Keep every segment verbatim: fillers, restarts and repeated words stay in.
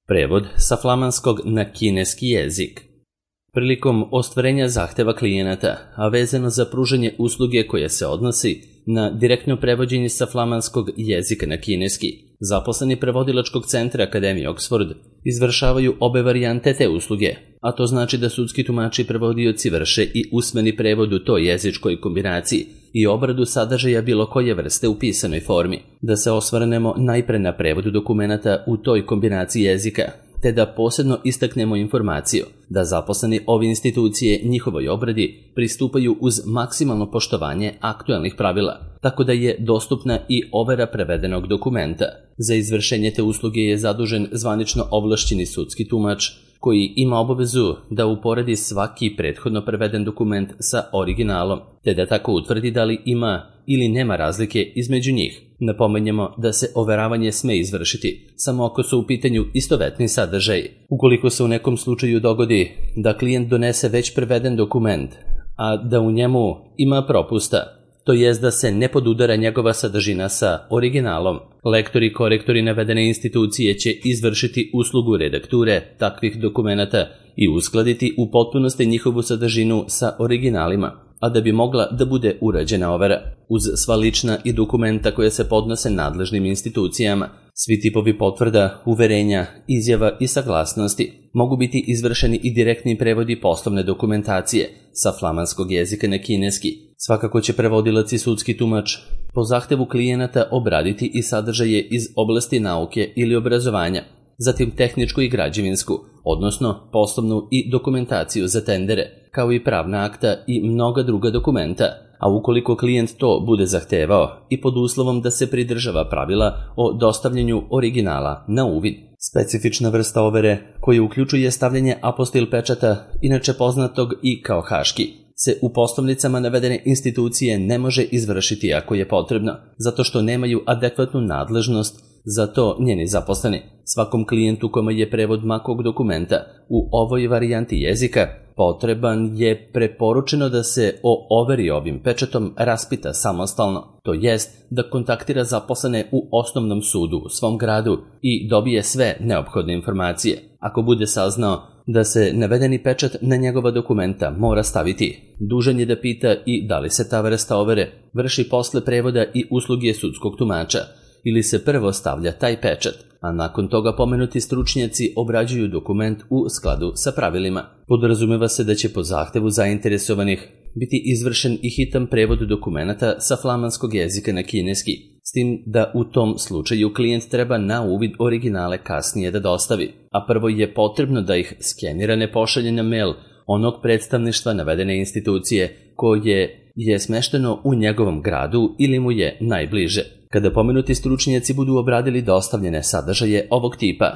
Prevod sa flamanskog na kineski jezik. Prilikom ostvarenja zahteva klijenata, a vezano za pružanje usluge koje se odnosi na direktno prevođenje sa flamanskog jezika na kineski, zaposleni prevodilačkog centra Akademije Oxford izvršavaju obe varijante te usluge, a to znači da sudski tumači i prevodioci vrše i usmeni prevod u toj jezičkoj kombinaciji i obradu sadržaja bilo koje vrste u pisanoj formi, da se osvrnemo najpre na prevodu dokumenata u toj kombinaciji jezika, te da posebno istaknemo informaciju da zaposleni ove institucije njihovoj obradi pristupaju uz maksimalno poštovanje aktualnih pravila, tako da je dostupna i overa prevedenog dokumenta. Za izvršenje te usluge je zadužen zvanično ovlašćeni sudski tumač, koji ima obavezu da uporedi svaki prethodno preveden dokument sa originalom, te da tako utvrdi da li ima ili nema razlike između njih. Napomenjemo da se overavanje sme izvršiti samo ako su u pitanju istovetni sadržaji. Ukoliko se u nekom slučaju dogodi da klijent donese već preveden dokument, a da u njemu ima propusta, to jest da se ne podudara njegova sadržina sa originalom, lektori i korektori navedene institucije će izvršiti uslugu redakture takvih dokumenata i uskladiti u potpunosti njihovu sadržinu sa originalima, a da bi mogla da bude urađena overa. Uz sva lična i dokumenta koje se podnose nadležnim institucijama, svi tipovi potvrda, uverenja, izjava i saglasnosti mogu biti izvršeni i direktni prevodi poslovne dokumentacije sa flamanskog jezika na kineski. Svakako će prevodilac i sudski tumač po zahtevu klijenata obraditi i sadržaje iz oblasti nauke ili obrazovanja, zatim tehničku i građevinsku, odnosno poslovnu i dokumentaciju za tendere, kao i pravna akta i mnoga druga dokumenta, a ukoliko klijent to bude zahtevao i pod uslovom da se pridržava pravila o dostavljanju originala na uvid. Specifična vrsta overe, koja uključuje stavljanje apostil pečata, inače poznatog i kao haški, se u poslovnicama navedene institucije ne može izvršiti ako je potrebno, zato što nemaju adekvatnu nadležnost za to njeni zaposleni. Svakom klijentu kome je prevod makog dokumenta u ovoj varijanti jezika potreban je preporučeno da se o overi ovim pečatom raspita samostalno, to jest da kontaktira zaposlene u osnovnom sudu u svom gradu i dobije sve neophodne informacije. Ako bude saznao da se navedeni pečat na njegova dokumenta mora staviti, dužan je da pita i da li se ta vrsta overe vrši posle prevoda i usluge sudskog tumača, ili se prvo stavlja taj pečat, a nakon toga pomenuti stručnjaci obrađuju dokument u skladu sa pravilima. Podrazumeva se da će po zahtevu zainteresovanih biti izvršen i hitan prevod dokumenata sa flamanskog jezika na kineski, s tim da u tom slučaju klijent treba na uvid originale kasnije da dostavi, a prvo je potrebno da ih skenirane pošalje na mail onog predstavništva navedene institucije koje je smešteno u njegovom gradu ili mu je najbliže. Kada pomenuti stručnjaci budu obradili dostavljene sadržaje ovog tipa,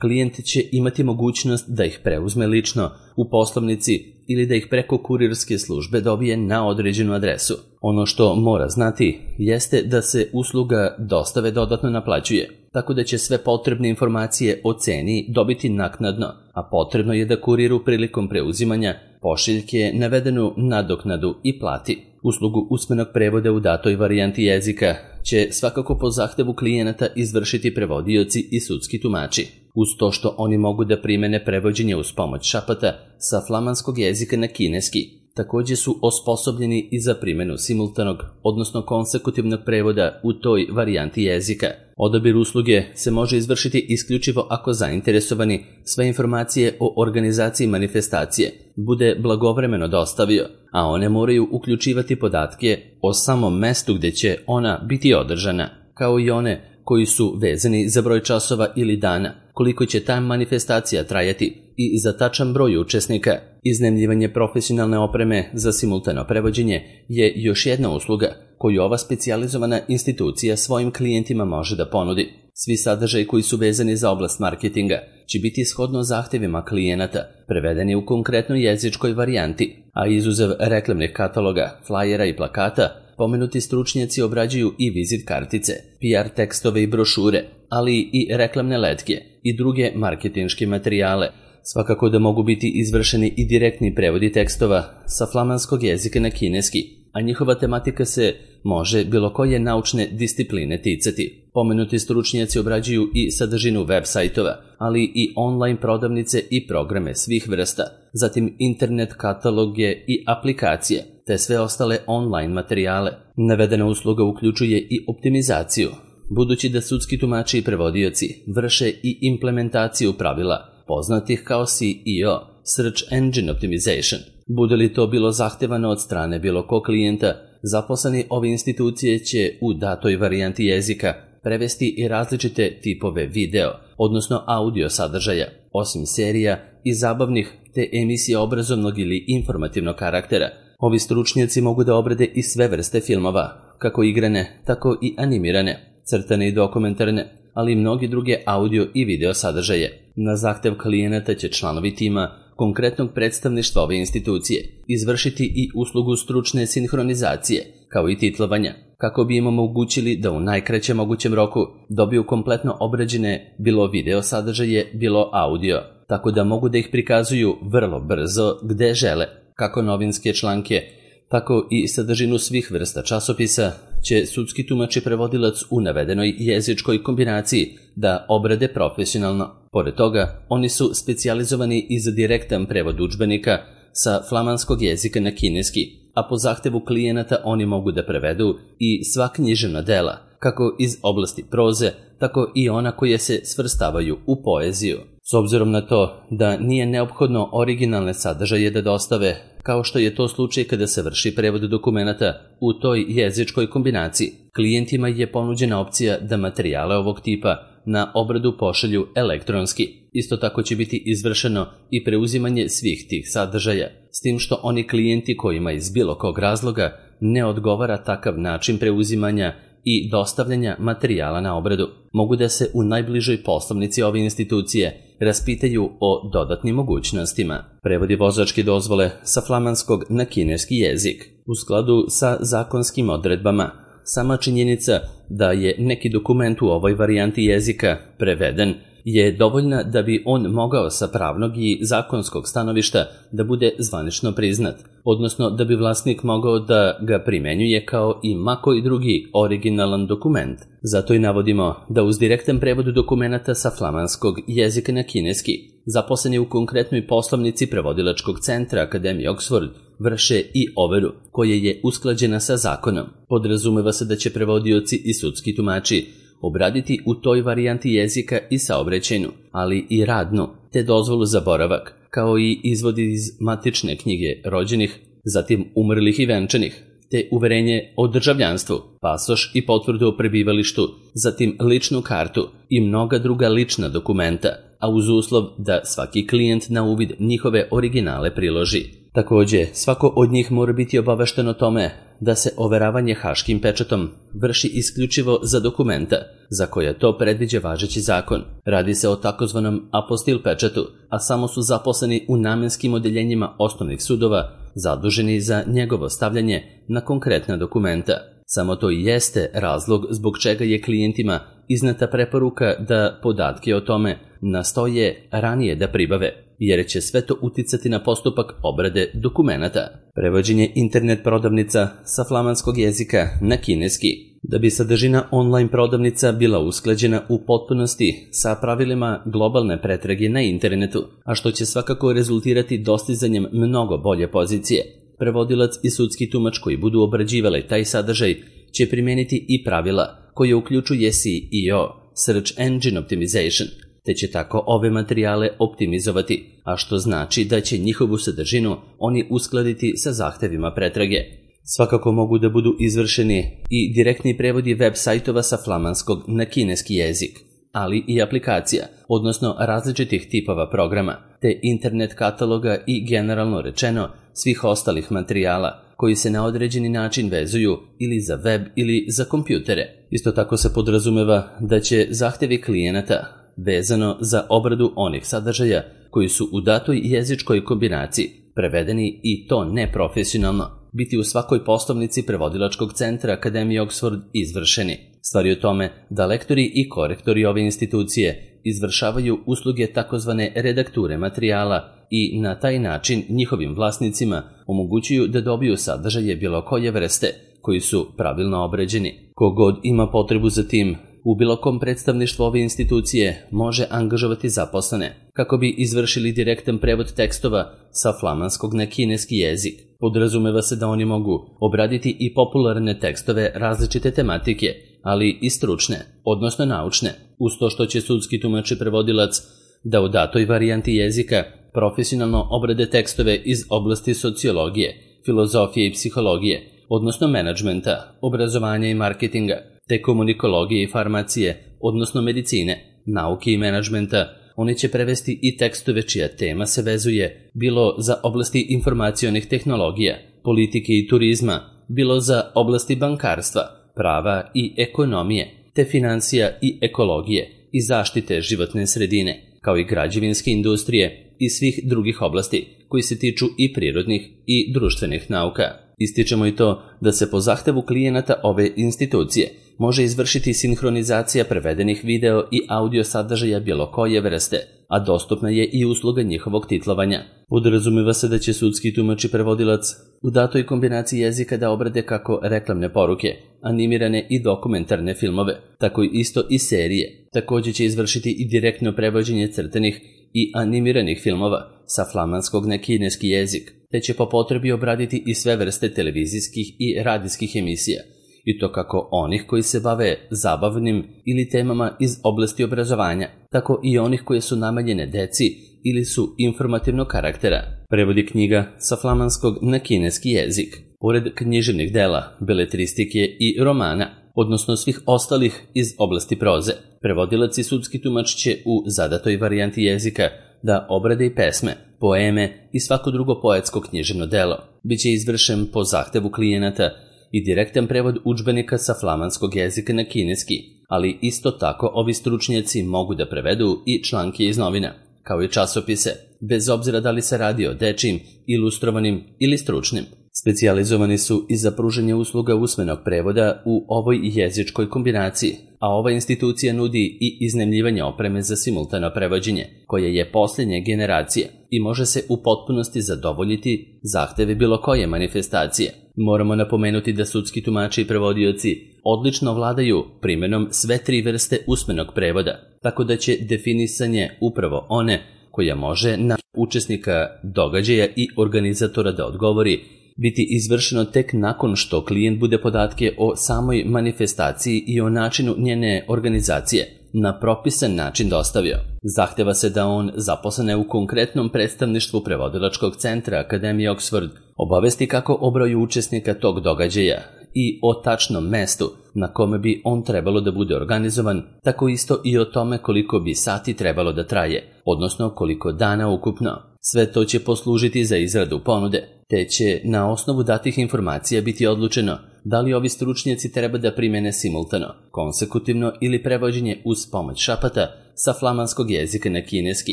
klijent će imati mogućnost da ih preuzme lično u poslovnici ili da ih preko kurirske službe dobije na određenu adresu. Ono što mora znati jeste da se usluga dostave dodatno naplaćuje, tako da će sve potrebne informacije o ceni dobiti naknadno, a potrebno je da kuriru prilikom preuzimanja pošiljke navedenu nadoknadu i plati. Uslugu usmenog prevoda u datoj varijanti jezika će svakako po zahtevu klijenata izvršiti prevodioci i sudski tumači, uz to što oni mogu da primene prevođenje uz pomoć šapata sa flamanskog jezika na kineski. Također su osposobljeni i za primjenu simultanog, odnosno konsekutivnog prevoda u toj varijanti jezika. Odabir usluge se može izvršiti isključivo ako zainteresovani sve informacije o organizaciji manifestacije bude blagovremeno dostavio, a one moraju uključivati podatke o samom mestu gdje će ona biti održana, kao i one koji su vezani za broj časova ili dana, koliko će ta manifestacija trajati i za tačan broj učesnika. Iznajmljivanje profesionalne opreme za simultano prevođenje je još jedna usluga koju ova specijalizovana institucija svojim klijentima može da ponudi. Svi sadržaji koji su vezani za oblast marketinga će biti shodno zahtevima klijenata, prevedeni u konkretnoj jezičkoj varijanti, a izuzev reklamnih kataloga, flajera i plakata, pomenuti stručnjaci obrađuju i vizit kartice, P R tekstove i brošure, ali i reklamne letke i druge marketinške materijale. Svakako da mogu biti izvršeni i direktni prevodi tekstova sa flamanskog jezika na kineski, a njihova tematika se može bilo koje naučne discipline ticati. Pomenuti stručnjaci obrađuju i sadržinu web sajtova, ali i online prodavnice i programe svih vrsta, zatim internet kataloge i aplikacije, te sve ostale online materijale. Navedena usluga uključuje i optimizaciju, budući da sudski tumači i prevodioci vrše i implementaciju pravila, poznatih kao S E O, Search Engine Optimization. Bude li to bilo zahtevano od strane bilo kog klijenta, zaposleni ove institucije će u datoj varijanti jezika prevesti i različite tipove video, odnosno audio sadržaja, osim serija i zabavnih te emisija obrazovnog ili informativnog karaktera. Ovi stručnjaci mogu da obrade i sve vrste filmova, kako igrane, tako i animirane, crtane i dokumentarne, ali i mnogi druge audio i video sadržaje. Na zahtev klijenata će članovi tima konkretnog predstavništva ove institucije izvršiti i uslugu stručne sinhronizacije, kao i titlovanja, kako bi im omogućili da u najkraćem mogućem roku dobiju kompletno obrađene bilo video sadržaje, bilo audio, tako da mogu da ih prikazuju vrlo brzo gde žele. Kako novinske članke, tako i sadržinu svih vrsta časopisa će sudski tumač i prevodilac u navedenoj jezičkoj kombinaciji da obrade profesionalno. Pored toga, oni su specijalizovani i za direktan prevod udžbenika sa flamanskog jezika na kineski, a po zahtevu klijenata oni mogu da prevedu i sva književna dela, kako iz oblasti proze, tako i ona koje se svrstavaju u poeziju. S obzirom na to da nije neophodno originalne sadržaje da dostave, kao što je to slučaj kada se vrši prevod dokumenata u toj jezičkoj kombinaciji, klijentima je ponuđena opcija da materijale ovog tipa na obradu pošalju elektronski. Isto tako će biti izvršeno i preuzimanje svih tih sadržaja, s tim što oni klijenti kojima iz bilo kog razloga ne odgovara takav način preuzimanja i dostavljanja materijala na obradu, mogu da se u najbližoj poslovnici ove institucije raspitaju o dodatnim mogućnostima. Prevodi vozačke dozvole sa flamanskog na kineski jezik u skladu sa zakonskim odredbama. Sama činjenica da je neki dokument u ovoj varijanti jezika preveden je dovoljna da bi on mogao sa pravnog i zakonskog stanovišta da bude zvanično priznat, odnosno da bi vlasnik mogao da ga primenjuje kao i ma koji drugi originalan dokument. Zato i navodimo da uz direktan prevod dokumenata sa flamanskog jezika na kineski, zaposleni u konkretnoj poslovnici prevodilačkog centra Akademije Oxford vrše i overu koja je usklađena sa zakonom. Podrazumeva se da će prevodioci i sudski tumači obraditi u toj varijanti jezika i saobraćajnu, ali i radnu, te dozvolu za boravak, kao i izvodi iz matične knjige rođenih, zatim umrlih i venčanih, te uverenje o državljanstvu, pasoš i potvrdu o prebivalištu, zatim ličnu kartu i mnoga druga lična dokumenta, a uz uslov da svaki klijent na uvid njihove originale priloži. Takođe, svako od njih mora biti obavešten o tome da se overavanje haškim pečatom vrši isključivo za dokumenta za koje to predviđa važeći zakon. Radi se o takozvanom apostil pečatu, a samo su zaposleni u namenskim odeljenjima osnovnih sudova zaduženi za njegovo stavljanje na konkretna dokumenta. Samo to i jeste razlog zbog čega je klijentima izneta preporuka da podatke o tome nastoje ranije da pribave, jer će sve to uticati na postupak obrade dokumenata. Prevođenje internet prodavnica sa flamanskog jezika na kineski. Da bi sadržina online prodavnica bila usklađena u potpunosti sa pravilima globalne pretrage na internetu, a što će svakako rezultirati dostizanjem mnogo bolje pozicije, prevodilac i sudski tumač koji budu obrađivali taj sadržaj će primeniti i pravila koje uključuje S E O, Search Engine Optimization, te će tako ove materijale optimizovati, a što znači da će njihovu sadržinu oni uskladiti sa zahtevima pretrage. Svakako mogu da budu izvršeni i direktni prevodi web sajtova sa flamanskog na kineski jezik, ali i aplikacija, odnosno različitih tipova programa, te internet kataloga i generalno rečeno svih ostalih materijala koji se na određeni način vezuju ili za web ili za kompjutere. Isto tako se podrazumeva da će zahtevi klijenata vezano za obradu onih sadržaja koji su u datoj jezičkoj kombinaciji prevedeni i to neprofesionalno, biti u svakoj poslovnici prevodilačkog centra Akademije Oxford izvršeni. Stvar je u tome da lektori i korektori ove institucije izvršavaju usluge takozvane redakture materijala i na taj način njihovim vlasnicima omogućuju da dobiju sadržaje bilo koje vrste koji su pravilno obrađeni. Kogod ima potrebu za tim u bilo kom predstavništvu ove institucije može angažovati zaposlene kako bi izvršili direktan prevod tekstova sa flamanskog na kineski jezik. Podrazumeva se da oni mogu obraditi i popularne tekstove različite tematike, ali i stručne, odnosno naučne, uz to što će sudski tumač i prevodilac da u datoj varijanti jezika profesionalno obrade tekstove iz oblasti sociologije, filozofije i psihologije, odnosno menadžmenta, obrazovanja i marketinga, te komunikologije i farmacije, odnosno medicine, nauke i menadžmenta. Oni će prevesti i tekstove čija tema se vezuje bilo za oblasti informacionih tehnologija, politike i turizma, bilo za oblasti bankarstva, prava i ekonomije, te financija i ekologije i zaštite životne sredine, kao i građevinske industrije i svih drugih oblasti koji se tiču i prirodnih i društvenih nauka. Ističemo i to da se po zahtevu klijenata ove institucije može izvršiti sinhronizacija prevedenih video i audio sadržaja bilo koje vrste, a dostupna je i usluga njihovog titlovanja. Podrazumeva se da će sudski tumač i prevodilac u datoj kombinaciji jezika da obrade kako reklamne poruke, animirane i dokumentarne filmove, tako isto i serije. Također će izvršiti i direktno prevođenje crtanih i animiranih filmova sa flamanskog na kineski jezik, te će po potrebi obraditi i sve vrste televizijskih i radijskih emisija, i to kako onih koji se bave zabavnim ili temama iz oblasti obrazovanja, tako i onih koje su namenjene deci ili su informativnog karaktera. Prevodi knjiga sa flamanskog na kineski jezik. Pored književnih dela, beletristike i romana, odnosno svih ostalih iz oblasti proze, prevodilac i sudski tumač će u zadatoj varijanti jezika da obrade i pesme, poeme i svako drugo poetsko književno delo. Biće izvršen po zahtevu klijenata i direktan prevod udžbenika sa flamanskog jezika na kineski, ali isto tako ovi stručnjaci mogu da prevedu i članke iz novina, kao i časopise, bez obzira da li se radi o dečijim, ilustrovanim ili stručnim. Specijalizovani su i za pružanje usluga usmenog prevoda u ovoj jezičkoj kombinaciji, a ova institucija nudi i iznajmljivanje opreme za simultano prevođenje, koje je posljednje generacije i može se u potpunosti zadovoljiti zahteve bilo koje manifestacije. Moramo napomenuti da sudski tumači i prevodioci odlično vladaju primjenom sve tri vrste usmenog prevoda, tako da će definisanje upravo one koja može na učesnika događaja i organizatora da odgovori biti izvršeno tek nakon što klijent bude podatke o samoj manifestaciji i o načinu njene organizacije na propisan način dostavio. Zahteva se da on, zaposlene u konkretnom predstavništvu prevodilačkog centra Akademije Oxford, obavesti kako o broju učesnika tog događaja i o tačnom mestu na kome bi on trebalo da bude organizovan, tako isto i o tome koliko bi sati trebalo da traje, odnosno koliko dana ukupno. Sve to će poslužiti za izradu ponude, te će na osnovu datih informacija biti odlučeno da li ovi stručnjaci treba da primene simultano, konsekutivno ili prevođenje uz pomoć šapata sa flamanskog jezika na kineski.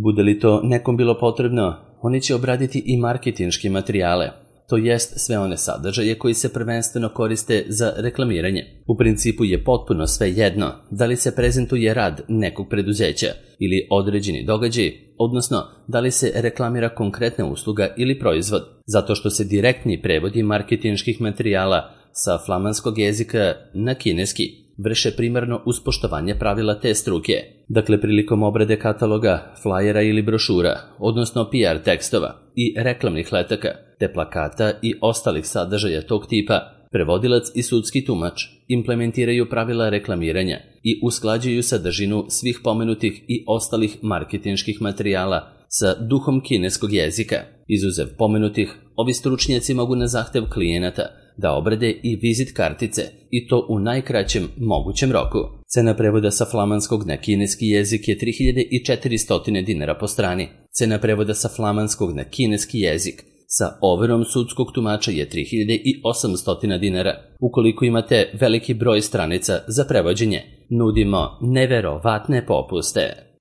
Bude li to nekom bilo potrebno, oni će obraditi i marketinške materijale, to jest sve one sadržaje koji se prvenstveno koriste za reklamiranje. U principu je potpuno sve jedno da li se prezentuje rad nekog preduzeća ili određeni događaj, odnosno da li se reklamira konkretna usluga ili proizvod, zato što se direktni prevodi marketinških materijala sa flamanskog jezika na kineski vrše primarno uz poštovanje pravila te struke. Dakle, prilikom obrade kataloga, flajera ili brošura, odnosno P R tekstova i reklamnih letaka, te plakata i ostalih sadržaja tog tipa, prevodilac i sudski tumač implementiraju pravila reklamiranja i usklađuju sadržinu svih pomenutih i ostalih marketinških materijala sa duhom kineskog jezika. Izuzev pomenutih, ovi stručnjaci mogu na zahtev klijenata da obrade i vizit kartice, i to u najkraćem mogućem roku. Cena prevoda sa flamanskog na kineski jezik je tri hiljade četiristo dinara po strani. Cena prevoda sa flamanskog na kineski jezik sa overom sudskog tumača je tri hiljade osamsto dinara. Ukoliko imate veliki broj stranica za prevođenje, nudimo neverovatne popuste.